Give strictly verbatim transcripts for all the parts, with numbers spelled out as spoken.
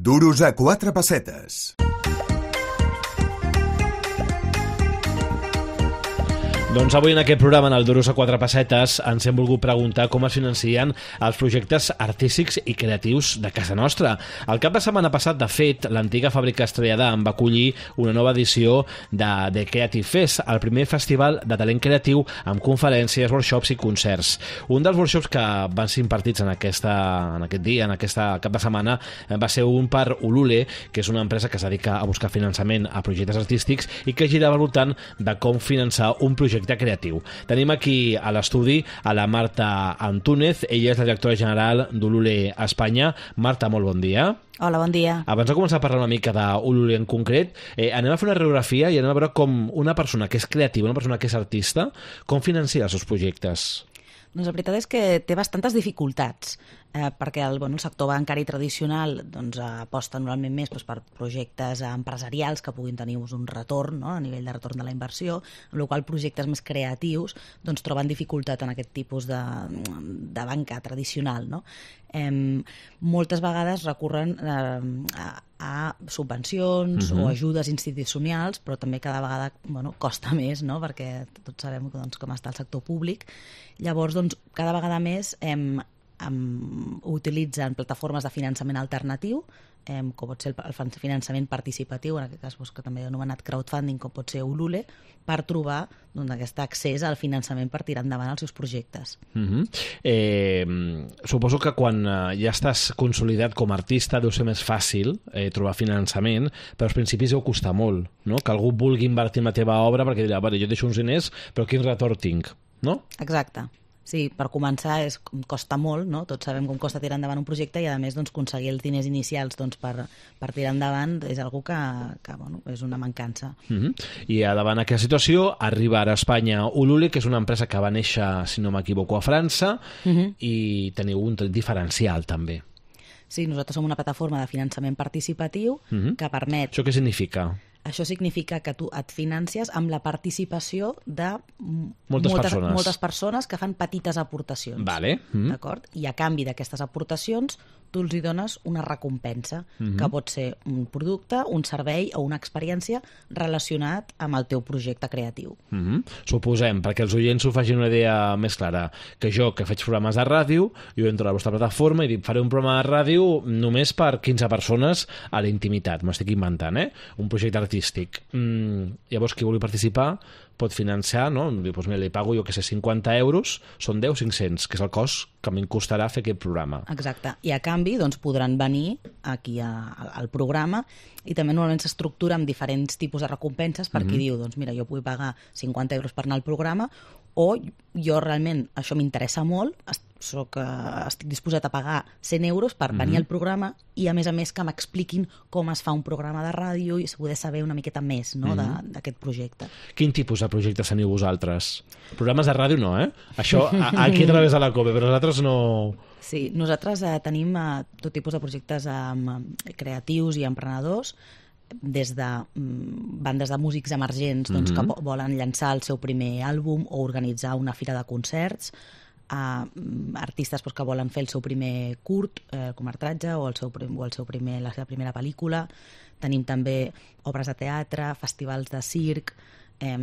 Duros a quatre pessetes. Doncs avui en aquest programa, en el Duros a quatre pessetes, ens hem volgut preguntar com es financien els projectes artístics i creatius de casa nostra. El cap de setmana passat, de fet, l'antiga fàbrica Estrella d'Am va acollir una nova edició de The Creative Fest, el primer festival de talent creatiu amb conferències, workshops i concerts. Un dels workshops que van ser impartits en, aquesta, en aquest dia, en aquesta cap de setmana, va ser un per Ulule, que és una empresa que es dedica a buscar finançament a projectes artístics i que girava al voltant de com finançar un projecte creatiu. Tenim aquí a l'estudi a la Marta Antúnez, ella és la directora general d'Ulule Espanya. Marta, molt bon dia. Hola, bon dia. Abans de començar a parlar una mica d'Ulule en concret, eh, anem a fer una radiografia i anem a veure com una persona que és creativa, una persona que és artista, com financia els seus projectes. Doncs la veritat és que té bastantes dificultats, eh, perquè el, bueno, el sector bancari tradicional doncs, aposta normalment més doncs, per projectes empresarials que puguin tenir un retorn, no?, a nivell de retorn de la inversió, amb la qual cosa projectes més creatius doncs, troben dificultat en aquest tipus de, de banca tradicional. No? Eh, moltes vegades recorren eh, a, a subvencions uh-huh. o ajudes institucionals, però també cada vegada bueno, costa més, no? Perquè tots sabem doncs, com està el sector públic. Llavors, doncs, cada vegada més hem, hem, utilitzen plataformes de finançament alternatiu, eh, com pot ser el, el finançament participatiu, en aquest cas doncs, que també he anomenat crowdfunding, com pot ser Ulule, per trobar doncs, aquest accés al finançament per tirar endavant els seus projectes. Uh-huh. eh, suposo que quan eh, ja estàs consolidat com a artista deu ser més fàcil eh, trobar finançament, però als principis deu costar molt, no? Que algú vulgui invertir en la teva obra perquè dirà, vale, jo deixo uns diners, però quin retorn tinc? No? Exacte. Sí, per començar és, costa molt, no? Tots sabem com costa tirar endavant un projecte i a més doncs, aconseguir els diners inicials doncs, per, per tirar endavant és una que, que bueno, és una mancança. Uh-huh. I davant aquesta situació arriba ara a Espanya Ulule, que és una empresa que va néixer, si no m'equivoco, a França, uh-huh. i teniu un diferencial també. Sí, nosaltres som una plataforma de finançament participatiu uh-huh. que permet... Això què significa? Això significa que tu et financies amb la participació de moltes, moltes, persones. moltes persones que fan petites aportacions. Vale. Mm. D'acord? I a canvi d'aquestes aportacions tu els hi dones una recompensa, mm-hmm. que pot ser un producte, un servei o una experiència relacionat amb el teu projecte creatiu. Mm-hmm. Suposem, perquè els oients ho facin una idea més clara, que jo, que faig programes de ràdio, jo entro a la vostra plataforma i dic, faré un programa de ràdio només per quinze persones a la intimitat, m'estic inventant, eh? Un projecte artístic. Mm, llavors, qui vulgui participar pot financiar, no? Doncs mira, li pago jo que sé, cinquanta euros, són deu, cinc-cents, que és el cost que a mi em costarà fer aquest programa. Exacte. I a canvi doncs, podran venir aquí a, a, al programa i també normalment s'estructura amb diferents tipus de recompenses per mm-hmm. qui diu, doncs mira, jo vull pagar cinquanta euros per anar al programa o jo realment, això m'interessa molt, soc, estic disposat a pagar cent euros per venir mm-hmm. al programa i a més a més que m'expliquin com es fa un programa de ràdio i poder saber una miqueta més no, mm-hmm. d'aquest projecte. Quin tipus de projectes teniu vosaltres? Programes de ràdio no, eh? Això aquí a través de la COPE, però nosaltres no... Sí, nosaltres eh, tenim eh, tot tipus de projectes eh, creatius i emprenedors, des de mm, bandes de músics emergents doncs, mm-hmm. que volen llançar el seu primer àlbum o organitzar una fira de concerts, a artistes doncs, que volen fer el seu primer curt, eh, curtmetratge o, el seu, o el seu primer, la seva primera pel·lícula. Tenim també obres de teatre, festivals de circ, eh,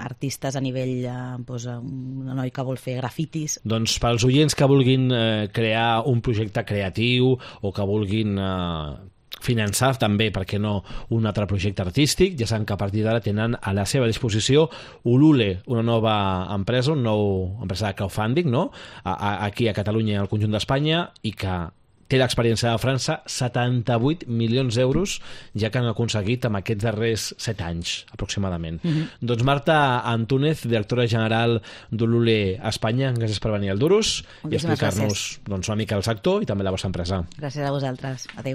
artistes a nivell eh, doncs, un noi que vol fer grafitis. Doncs pels oients que vulguin eh, crear un projecte creatiu o que vulguin eh, finançar també, perquè no, un altre projecte artístic, ja saben que a partir d'ara tenen a la seva disposició Ulule, una nova empresa, una nova empresa de crowdfunding, no? A, a, aquí a Catalunya i al conjunt d'Espanya, i que té l'experiència de França, setanta-vuit milions d'euros ja que han aconseguit en aquests darrers set anys, aproximadament. Mm-hmm. Doncs Marta Antúnez, directora general d'Ulule Espanya, gràcies per venir al Duros i explicar-nos doncs, una mica el sector i també la vostra empresa. Gràcies a vosaltres. Adéu.